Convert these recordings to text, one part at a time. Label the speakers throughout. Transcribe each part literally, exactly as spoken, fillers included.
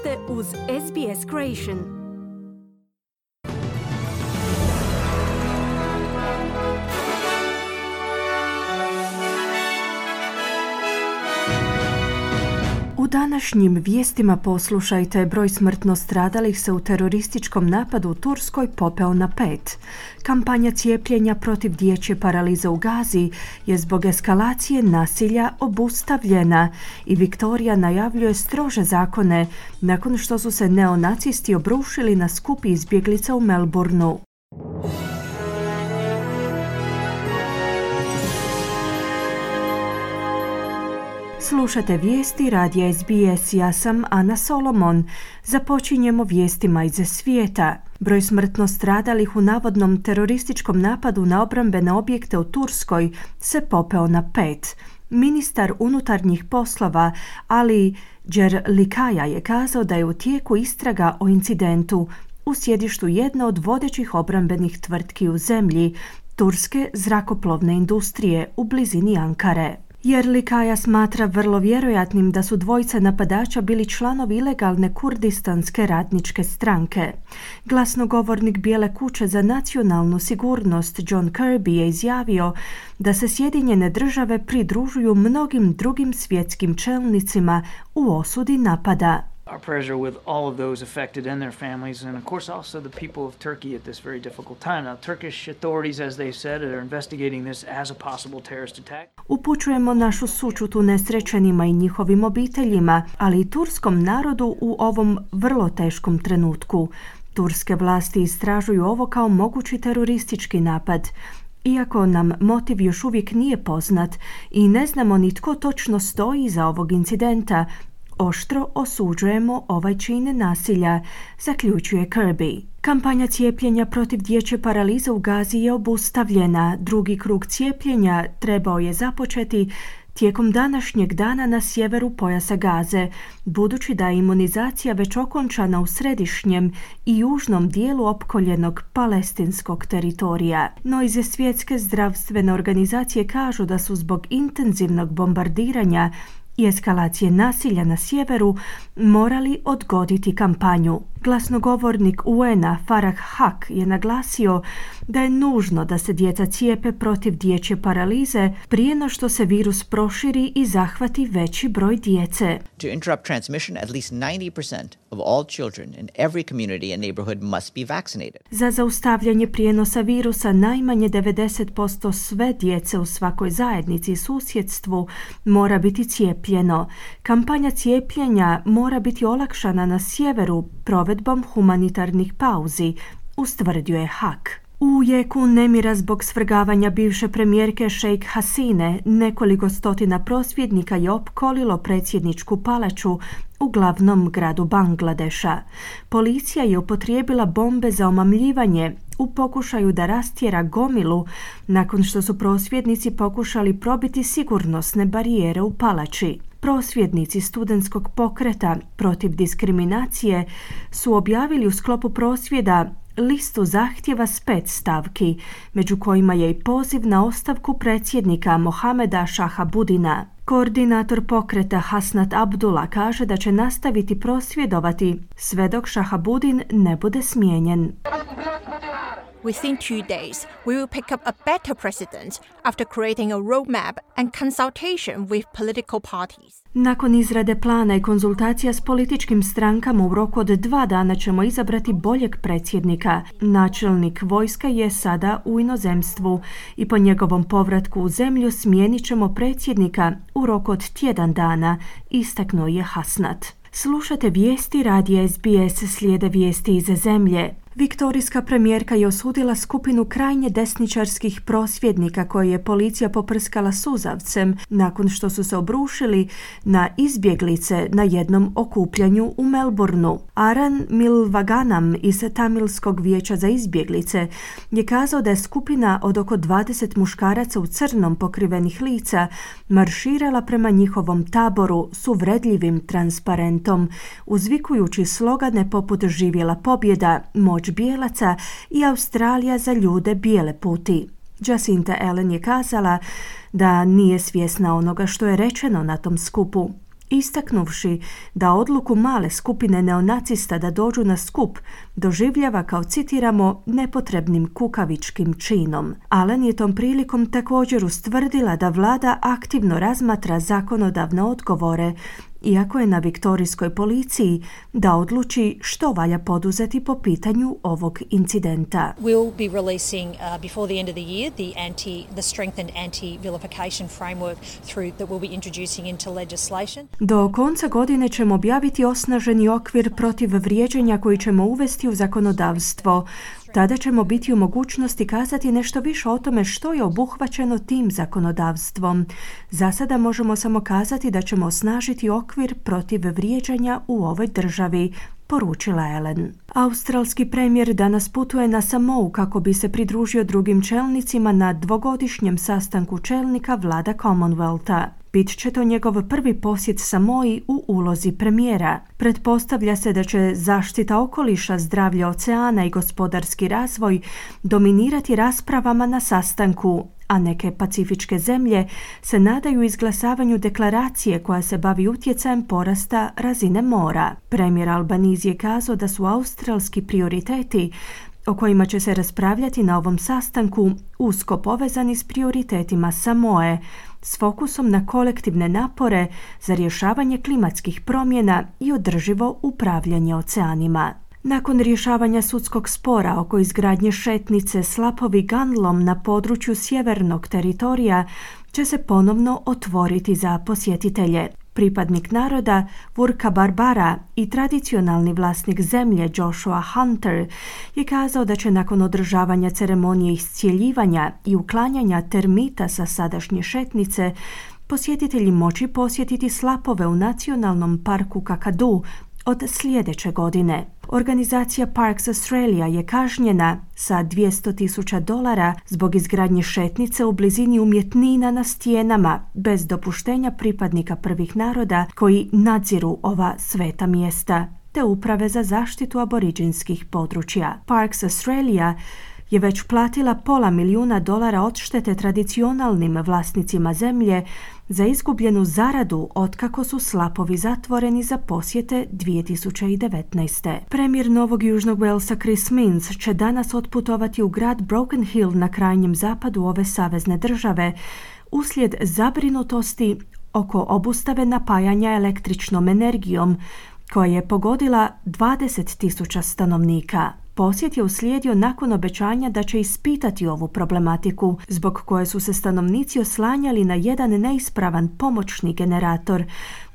Speaker 1: ste uz S B S Creation. U današnjim vijestima poslušajte, broj smrtno stradalih se u terorističkom napadu u Turskoj popeo na pet. Kampanja cijepljenja protiv dječje paralize u Gazi je zbog eskalacije nasilja obustavljena i Viktorija najavljuje strože zakone nakon što su se neonacisti obrušili na skup izbjeglica u Melbourneu. Slušate vijesti radija S B S, ja sam Ana Solomon. Započinjemo vijestima iz svijeta. Broj smrtno stradalih u navodnom terorističkom napadu na obrambene objekte u Turskoj se popeo na pet. Ministar unutarnjih poslova Ali Đerlikaja je kazao da je u tijeku istraga o incidentu u sjedištu jedne od vodećih obrambenih tvrtki u zemlji, turske zrakoplovne industrije u blizini Ankare. Đerlikaja smatra vrlo vjerojatnim da su dvojica napadača bili članovi ilegalne kurdistanske radničke stranke. Glasnogovornik Bijele kuće za nacionalnu sigurnost John Kirby je izjavio da se Sjedinjene države pridružuju mnogim drugim svjetskim čelnicima u osudi napada.
Speaker 2: Our prayers are with all of those affected and their families, and of course also the people of Turkey at this very difficult time. Now, Turkish authorities, as they said, are investigating this as a possible terrorist attack.
Speaker 1: Upućujemo našu sućut unesrećenima i njihovim obiteljima, ali i turskom narodu u ovom vrlo teškom trenutku. Turske vlasti istražuju ovo kao mogući teroristički napad. Iako nam motiv još uvijek nije poznat i ne znamo ni tko točno stoji iza ovog incidenta, oštro osuđujemo ovaj čin nasilja, zaključuje Kirby. Kampanja cijepljenja protiv dječje paralize u Gazi je obustavljena. Drugi krug cijepljenja trebao je započeti tijekom današnjeg dana na sjeveru pojasa Gaze, budući da je imunizacija već okončana u središnjem i južnom dijelu opkoljenog palestinskog teritorija. No iz svjetske zdravstvene organizacije kažu da su zbog intenzivnog bombardiranja i eskalacije nasilja na sjeveru morali odgoditi kampanju. Glasnogovornik U N-a Farah Haq je naglasio da je nužno da se djeca cijepe protiv dječje paralize prije no što se virus proširi i zahvati veći broj djece.
Speaker 3: To interrupt transmission, at least ninety percent of all children in every community and neighborhood must be vaccinated.
Speaker 1: Za zaustavljanje prijenosa virusa najmanje devedeset posto sve djece u svakoj zajednici i susjedstvu mora biti cijepljeno. Kampanja cijepljenja mora biti olakšana na sjeveru provedbom humanitarnih pauzi, ustvrdio je Haq. U jeku nemira zbog svrgavanja bivše premijerke Sheikh Hasine, nekoliko stotina prosvjednika je opkolilo predsjedničku palaču u glavnom gradu Bangladeša. Policija je upotrijebila bombe za omamljivanje u pokušaju da rastjera gomilu nakon što su prosvjednici pokušali probiti sigurnosne barijere u palači. Prosvjednici studentskog pokreta protiv diskriminacije su objavili u sklopu prosvjeda listu zahtjeva s pet stavki, među kojima je i poziv na ostavku predsjednika Mohameda Shahabudina. Koordinator pokreta Hasnat Abdullah kaže da će nastaviti prosvjedovati sve dok Shahabudin ne bude smijenjen.
Speaker 4: Within two days, we will pick up a better president after creating a roadmap and consultation with political parties.
Speaker 1: Nakon izrade plana i konzultacija s političkim strankama u roku od dva dana ćemo izabrati boljeg predsjednika. Načelnik vojska je sada u inozemstvu i po njegovom povratku u zemlju smijenit ćemo predsjednika u roku od tjedan dana, istaknuo je Hasnat. Slušate vijesti radija S B S, slijede vijesti iz zemlje. Viktorijska premijerka je osudila skupinu krajnje desničarskih prosvjednika koje je policija poprskala suzavcem nakon što su se obrušili na izbjeglice na jednom okupljanju u Melbourneu. Aran Milvaganam iz Tamilskog vijeća za izbjeglice je kazao da je skupina od oko dvadeset muškaraca u crnom pokrivenih lica marširala prema njihovom taboru s uvredljivim transparentom, uzvikujući slogane poput živjela pobjeda, moć bijelaca i Australija za ljude bijele puti. Jacinta Allen je kazala da nije svjesna onoga što je rečeno na tom skupu. istaknuvši da odluku male skupine neonacista da dođu na skup doživljava kao, citiramo, nepotrebnim kukavičkim činom. Allen je tom prilikom također ustvrdila da vlada aktivno razmatra zakonodavne odgovore, iako je na viktorijskoj policiji da odluči što valja poduzeti po pitanju ovog incidenta.
Speaker 5: We'll be releasing uh, before the end of the year the anti the strengthened anti-vilification framework through that we'll be introducing into legislation.
Speaker 1: Do konca godine ćemo objaviti osnaženi okvir protiv vrijeđanja koji ćemo uvesti u zakonodavstvo. Tada ćemo biti u mogućnosti kazati nešto više o tome što je obuhvaćeno tim zakonodavstvom. Za sada možemo samo kazati da ćemo osnažiti okvir protiv vrijeđanja u ovoj državi, poručila Allen. Australski premijer danas putuje na Samou kako bi se pridružio drugim čelnicima na dvogodišnjem sastanku čelnika vlada Commonwealtha. Bit će to njegov prvi posjet Samoji u ulozi premijera. Pretpostavlja se da će zaštita okoliša, zdravlje oceana i gospodarski razvoj dominirati raspravama na sastanku, a neke pacifičke zemlje se nadaju izglasavanju deklaracije koja se bavi utjecajem porasta razine mora. Premijer Albanese je kazao da su australski prioriteti o kojima će se raspravljati na ovom sastanku usko povezani s prioritetima Samoe, s fokusom na kolektivne napore za rješavanje klimatskih promjena i održivo upravljanje oceanima. Nakon rješavanja sudskog spora oko izgradnje šetnice slapovi Gunlom na području sjevernog teritorija će se ponovno otvoriti za posjetitelje. Pripadnik naroda Vurka Barbara i tradicionalni vlasnik zemlje Joshua Hunter je kazao da će nakon održavanja ceremonije iscjeljivanja i uklanjanja termita sa sadašnje šetnice posjetitelji moći posjetiti slapove u nacionalnom parku Kakadu od sljedeće godine. Organizacija Parks Australia je kažnjena sa dvjesto tisuća dolara zbog izgradnje šetnice u blizini umjetnina na stijenama bez dopuštenja pripadnika prvih naroda koji nadziru ova sveta mjesta, te uprave za zaštitu aboriđinskih područja. Parks Australia je već platila pola milijuna dolara odštete tradicionalnim vlasnicima zemlje za izgubljenu zaradu otkako su slapovi zatvoreni za posjete dvije tisuće devetnaeste. Premijer Novog Južnog Walesa Chris Minns će danas otputovati u grad Broken Hill na krajnjem zapadu ove savezne države uslijed zabrinutosti oko obustave napajanja električnom energijom koja je pogodila dvadeset tisuća stanovnika. Posjet je uslijedio nakon obećanja da će ispitati ovu problematiku, zbog koje su se stanovnici oslanjali na jedan neispravan pomoćni generator,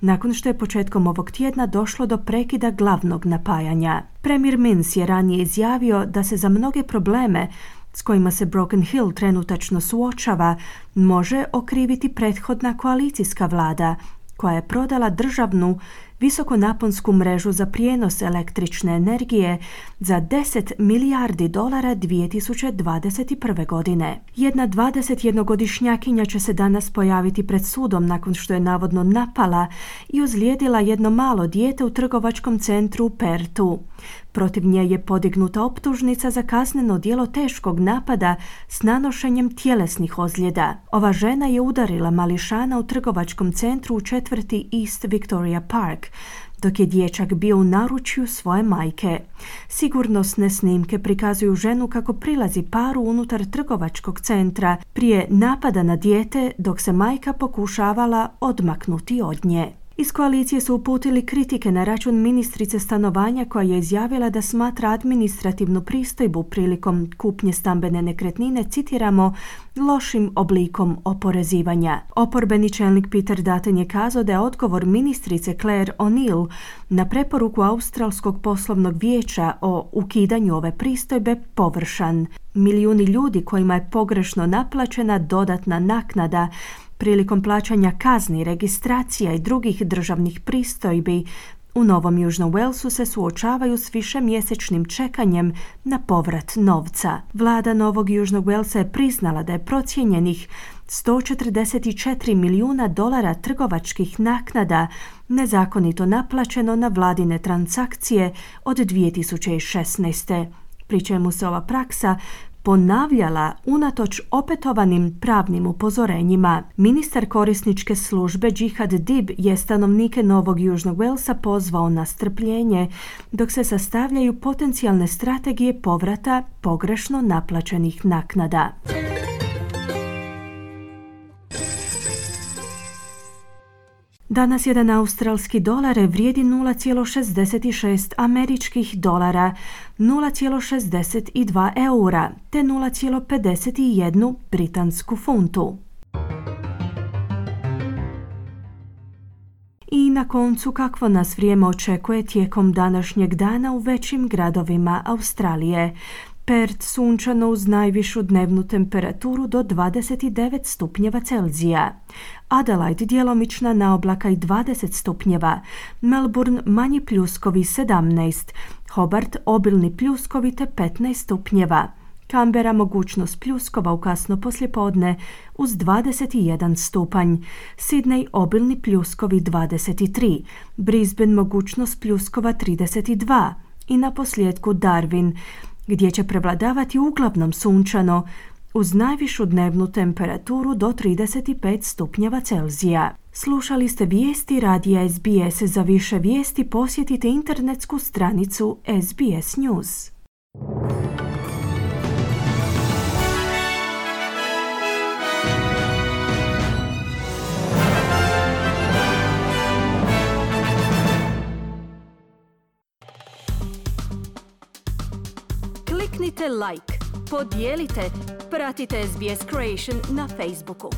Speaker 1: nakon što je početkom ovog tjedna došlo do prekida glavnog napajanja. Premijer Minns je ranije izjavio da se za mnoge probleme s kojima se Broken Hill trenutačno suočava može okriviti prethodna koalicijska vlada, koja je prodala državnu visokonaponsku mrežu za prijenos električne energije za deset milijardi dolara dvije tisuće dvadeset prve. godine. Jedna dvadesetjednogodišnjakinja će se danas pojaviti pred sudom nakon što je navodno napala i ozlijedila jedno malo dijete u trgovačkom centru u Perthu. Protiv nje je podignuta optužnica za kazneno djelo teškog napada s nanošenjem tjelesnih ozljeda. Ova žena je udarila mališana u trgovačkom centru u četvrti East Victoria Park, dok je dječak bio u naručju svoje majke. Sigurnosne snimke prikazuju ženu kako prilazi paru unutar trgovačkog centra prije napada na dijete, dok se majka pokušavala odmaknuti od nje. Iz koalicije su uputili kritike na račun ministrice stanovanja koja je izjavila da smatra administrativnu pristojbu prilikom kupnje stambene nekretnine, citiramo, lošim oblikom oporezivanja. Oporbeni čelnik Peter Dutton je kazao da je odgovor ministrice Claire O'Neill na preporuku Australskog poslovnog vijeća o ukidanju ove pristojbe površan. Milijuni ljudi kojima je pogrešno naplaćena dodatna naknada prilikom plaćanja kazni, registracija i drugih državnih pristojbi u Novom Južnom Walesu se suočavaju s višemjesečnim čekanjem na povrat novca. Vlada Novog Južnog Walesa je priznala da je procijenjenih sto četrdeset četiri milijuna dolara trgovačkih naknada nezakonito naplaćeno na vladine transakcije od dvije tisuće šesnaeste. pri čemu se ova praksa ponavljala unatoč opetovanim pravnim upozorenjima. Ministar korisničke službe Jihad Dib je stanovnike Novog Južnog Walesa pozvao na strpljenje dok se sastavljaju potencijalne strategije povrata pogrešno naplaćenih naknada. Danas jedan australski dolar vrijedi nula zarez šezdeset šest američkih dolara, nula zarez šezdeset dva eura te nula zarez pedeset jedan britansku funtu. I na koncu, kakvo nas vrijeme očekuje tijekom današnjeg dana u većim gradovima Australije. Perth sunčano uz najvišu dnevnu temperaturu do dvadeset devet stupnjeva Celzija. Adelaide djelomična naoblaka i dvadeset stupnjeva. Melbourne manji pljuskovi sedamnaest. Hobart obilni pljuskovi te petnaest stupnjeva. Canberra mogućnost pljuskova u kasno poslijepodne uz dvadeset jedan stupanj. Sydney obilni pljuskovi dvadeset tri. Brisbane mogućnost pljuskova trideset dva. I na posljedku Darwin, gdje će prevladavati uglavnom sunčano, uz najvišu dnevnu temperaturu do trideset pet stupnjeva Celzija. Slušali ste vijesti radija S B S. Za više vijesti posjetite internetsku stranicu S B S News. Kliknite like, podijelite, pratite S B S Creation na Facebooku.